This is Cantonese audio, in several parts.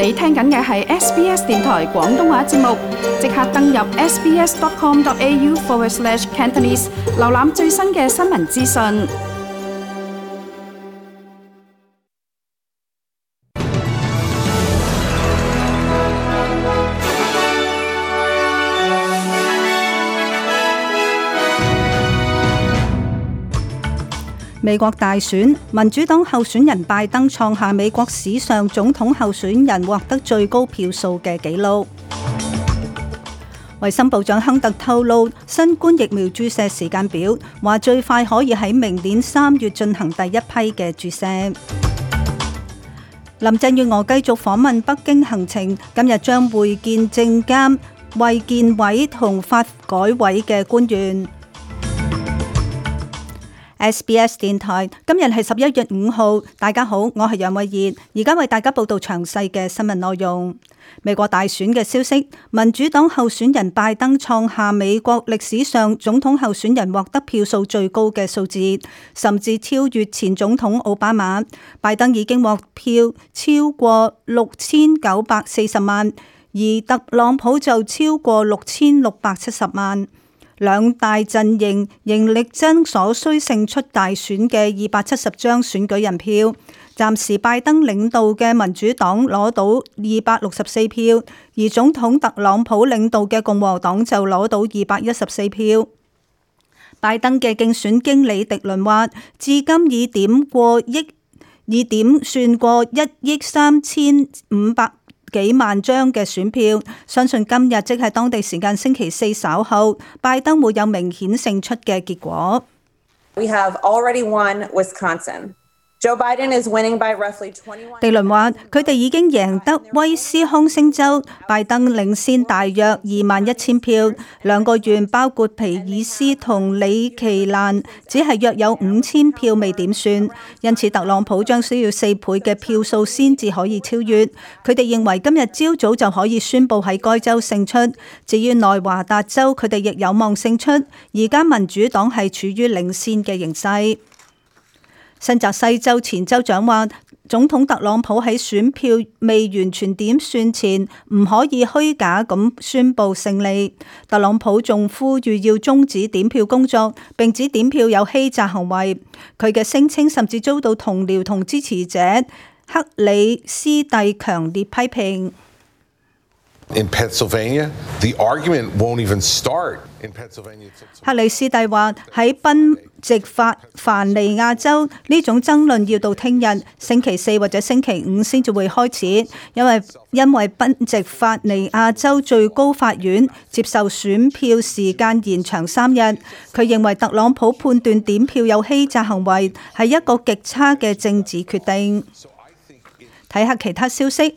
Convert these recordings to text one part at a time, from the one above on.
你聽緊嘅係 SBS 電台廣東話節目，即刻登入 sbs.com.au/Cantonese 瀏覽最新嘅新聞資訊。美國大選，民主黨候選人拜登創下美國史上總統候選人獲得最高票數嘅紀錄。衛生部長亨特透露新冠疫苗注射時間表，話最快可以喺明年3月進行第一批嘅注射。林鄭月娥繼續訪問北京行程，今日將會見證監、衛健委同發改委嘅官員。SBS 電台今日係11月5號，大家好，我係楊慧儀，而家為大家報道詳細嘅新聞內容。美國大選嘅消息，民主黨候選人拜登創下美國歷史上總統候選人獲得票數最高嘅數字，甚至超越前總統奧巴馬。拜登已經獲票超過6940萬，而特朗普就超過6670萬。兩大陣營仍力爭所需勝出大選嘅270張選舉人票，暫時拜登領導嘅民主黨攞到264票，而總統特朗普領導嘅共和黨就攞到214票。拜登嘅競選經理迪倫話，至今已點算過1億3500幾萬張嘅選票，相信今日即係當地時間星期四稍後，拜登會有明顯勝出嘅結果。We have already won Wisconsin. Joe Biden is winning by roughly 21. 地倫話：佢哋已經贏得威斯康星州，拜登領先大約21000票。兩個縣包括皮爾斯同里奇蘭，只係約有5000票未點算，因此特朗普將需要4倍嘅票數先至可以超越。佢哋認為今日朝早就可以宣布喺該州勝出。至於內華達州，佢哋亦有望勝出。而家民主黨係處於領先嘅形勢。新澤西州前州長話，總統特朗普喺選票未完全點算前，唔可以虛假咁宣布勝利。特朗普仲呼籲要終止點票工作，並指點票有欺詐行為。佢嘅聲稱甚至遭到同僚同支持者克里斯蒂強烈批評。In Pennsylvania, the argument won't even start. In Pennsylvania, 克里斯蒂話喺賓夕凡尼亞州呢種爭論要到聽日星期四或者星期五先至會開始，因為賓夕凡尼亞州最高法院接受選票時間延長3日。佢認為特朗普判斷點票有欺詐行為係一個極差嘅政治決定。睇下其他消息，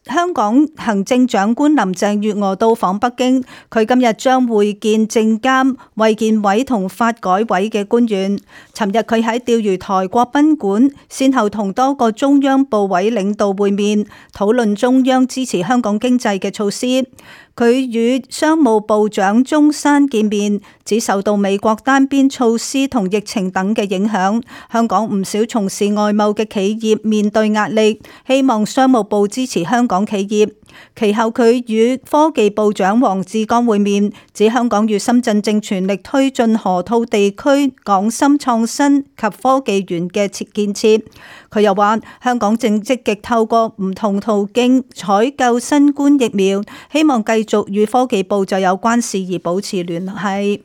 香港行政長官林鄭月娥到訪北京，佢今日將會見證監、衛健委同發改委嘅官員。尋日佢喺釣魚台國賓館，先後同多個中央部委領導會面，討論中央支持香港經濟嘅措施。佢與商務部長鍾山見面，指受到美國單邊措施同疫情等嘅影響，香港唔少從事外貿嘅企業面對壓力，希望商務部支持香港企業。其後佢與科技部長黃志剛會面，指香港與深圳正全力推進河套地區港深創新及科技園嘅建設。佢又話香港正積極透過唔同途徑採購新冠疫苗，希望繼續與科技部就有關事宜保持聯繫。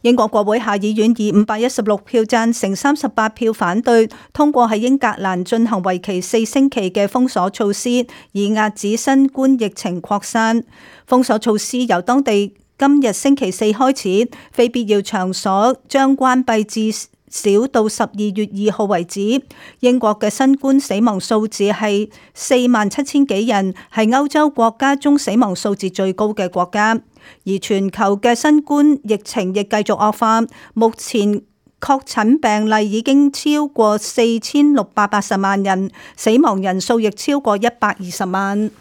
英國國會下議院以516票贊成、38票反對，通過喺英格蘭進行為期4星期嘅封鎖措施，以遏止新冠疫情擴散。封鎖措施由當地今日星期四開始，非必要場所將關閉至少到12月2號為止。英國嘅新冠死亡數字係47000幾人，係歐洲國家中死亡數字最高嘅國家。而全球嘅新冠疫情亦繼續惡化，目前確診病例已經超過4680萬人，死亡人數亦超過120萬。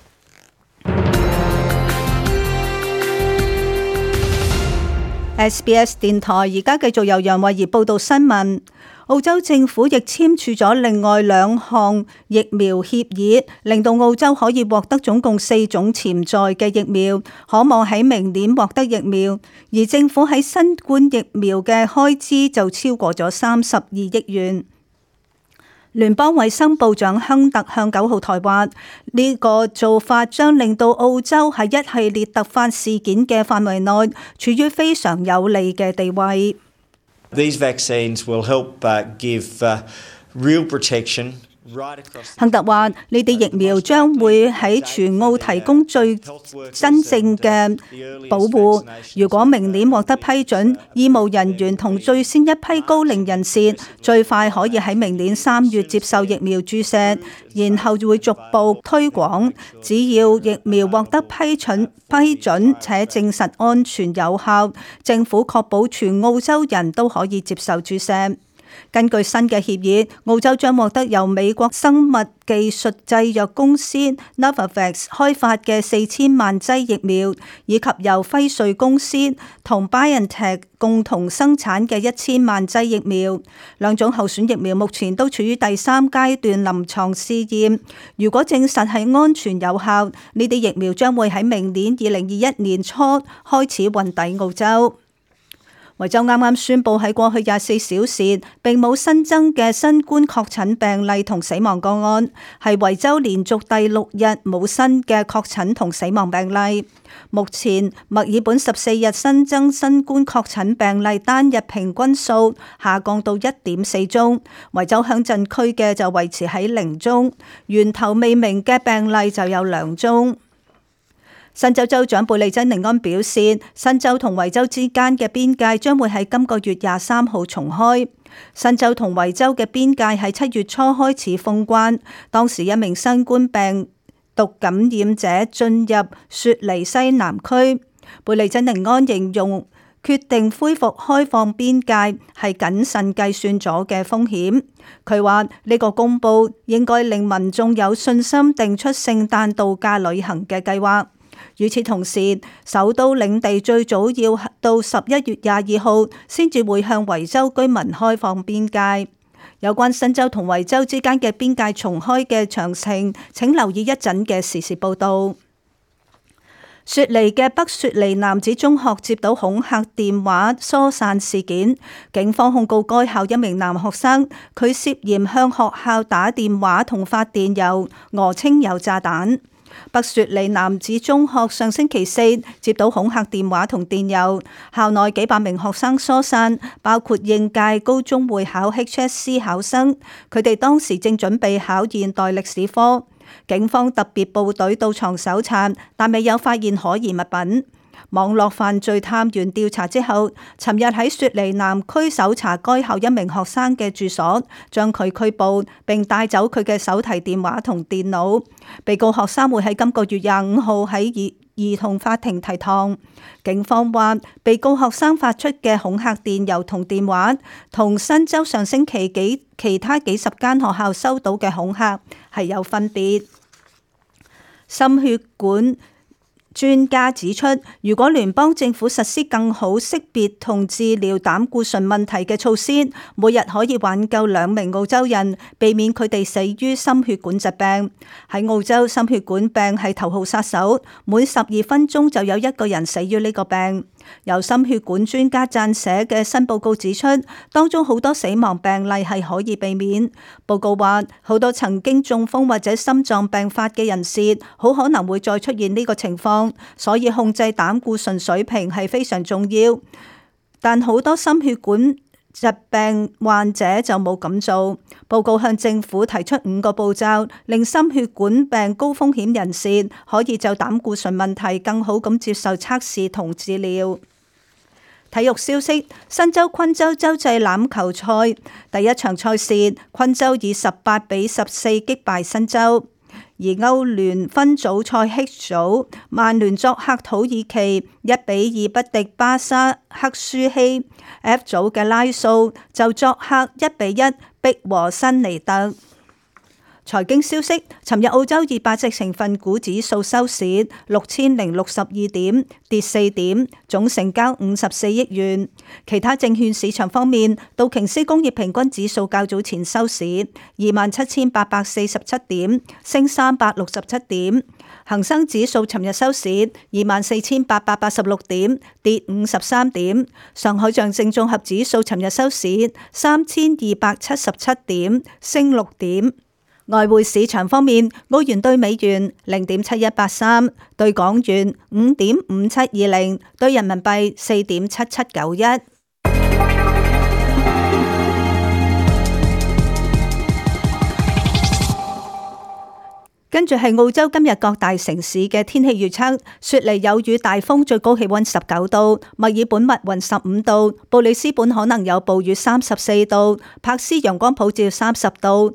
SBS 電台而家繼續由楊慧儀報道新聞。澳洲政府亦簽署咗另外2項疫苗協議，令到澳洲可以獲得總共4種潛在嘅疫苗，可望喺明年獲得疫苗。而政府喺新冠疫苗嘅開支就超過咗32億元。聯邦衛生部長亨特向9號台話，呢個做法將令到澳洲喺一系列突發事件嘅範圍內處於非常有利嘅地位。These vaccines will help give real protection. 亨特話：呢啲疫苗將會喺全澳提供最真正嘅保護。如果明年獲得批准，醫務人員同最先一批高齡人士最快可以喺明年3月接受疫苗注射，然後會逐步推廣。只要疫苗獲得批准且證實安全有效，政府確保全澳洲人都可以接受注射。根據新嘅協議，澳洲將獲得由美國生物技術製藥公司 Novavax 開發嘅4000萬劑疫苗，以及由輝瑞公司同 BioNTech 共同生產嘅1000萬劑疫苗。兩種候選疫苗目前都處於第3階段臨床試驗。如果證實係安全有效，呢啲疫苗將會喺明年2021年初開始運抵澳洲。維州啱啱宣布喺過去24小時並冇新增嘅新冠確診病例同死亡個案，係維州連續第6日冇新嘅確診同死亡病例。目前墨爾本14日新增新冠確診病例單日平均數下降到1.4宗，維州鄉鎮區嘅就維持喺0宗，源頭未明嘅病例就有2宗。新州州長貝利珍尼安表示，新州同維州之間嘅邊界將會喺今個月23號重開。新州同維州嘅邊界喺7月初開始封關，當時一名新冠病毒感染者進入雪梨西南區。貝利珍尼安形容決定恢復開放邊界係謹慎計算咗嘅風險。佢話呢個公佈應該令民眾有信心定出聖誕度假旅行嘅計劃。與此同時，首都領地最早要到11月22號先至會向維州居民開放邊界。有關新州同維州之間嘅邊界重開嘅詳情，請留意一陣嘅時事報導。雪梨嘅北雪梨男子中學接到恐嚇電話疏散事件，警方控告該校一名男學生，佢涉嫌向學校打電話同發電郵，訛稱有炸彈。北雪梨男子中學上星期4接到恐嚇電話同電郵，校內幾百名學生疏散，包括應屆高中會考 HSC 考生，佢哋當時正準備考現代歷史科。警方特別部隊到場搜查，但未有發現可疑物品。網絡犯罪探員調查之後，尋日喺雪梨南區搜查該校一名學生嘅住所，將佢拘捕並帶走佢嘅手提電話同電腦。被告學生會喺今個月25號喺兒童法庭提堂。警方話，被告學生發出嘅恐嚇電郵同電話，同新州上星期其他幾十間學校收到嘅恐嚇係有分別。心血管專家指出，如果聯邦政府實施更好識別同治療膽固醇問題嘅措施，每日可以挽救2名澳洲人，避免佢哋死於心血管疾病。喺澳洲，心血管病係頭號殺手，每12分鐘就有1個人死於呢個病。由心血管專家撰寫嘅新報告指出，當中好多死亡病例係可以避免。報告話，好多曾經中風或者心臟病發嘅人士，好可能會再出現呢個情況，所以控制膽固醇水平係非常重要。但好多心血管疾病患者就冇咁做。報告向政府提出5個步驟，令心血管病高風險人士可以就膽固醇問題更好咁接受測試同治療。體育消息：新州昆州洲際欖球賽第一場賽事，昆州以18-14擊敗新州。而歐聯分組賽 H 組，曼聯作客土耳其1-2不敵巴沙克舒希。F 組嘅拉素就作客1-1逼和新尼特。財經消息，尋日澳洲200隻成分股指數收市6062點，跌4點，總成交54億元。其他證券市場方面，道瓊斯工業平均指數較早前收市27847點，升367點。恒生指數尋日收市24886點，跌53點。上海上證綜合指數尋日收市3277點，升6點。外匯市場方面，澳元兌美元0.7183，兌港元5.5720，兌人民幣4.7791。跟住係澳洲今日各大城市嘅天氣預測：雪梨有雨大風，最高氣溫19度；墨爾本密雲15度；布里斯本可能有暴雨34度；珀斯陽光普照30度；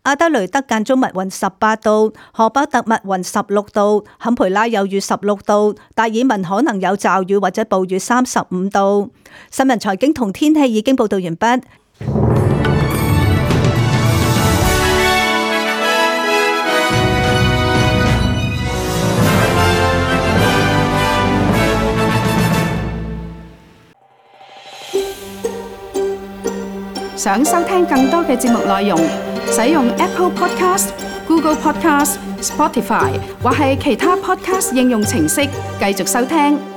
阿德雷德間中密雲18度；荷巴特密雲16度；坎培拉有雨16度；達爾文可能有驟雨或者暴雨35度。新聞財經同天氣已經報道完畢。想收聽更多嘅節目內容，使用 Apple Podcast、Google Podcast、Spotify 或係其他 Podcast 應用程式繼續收聽。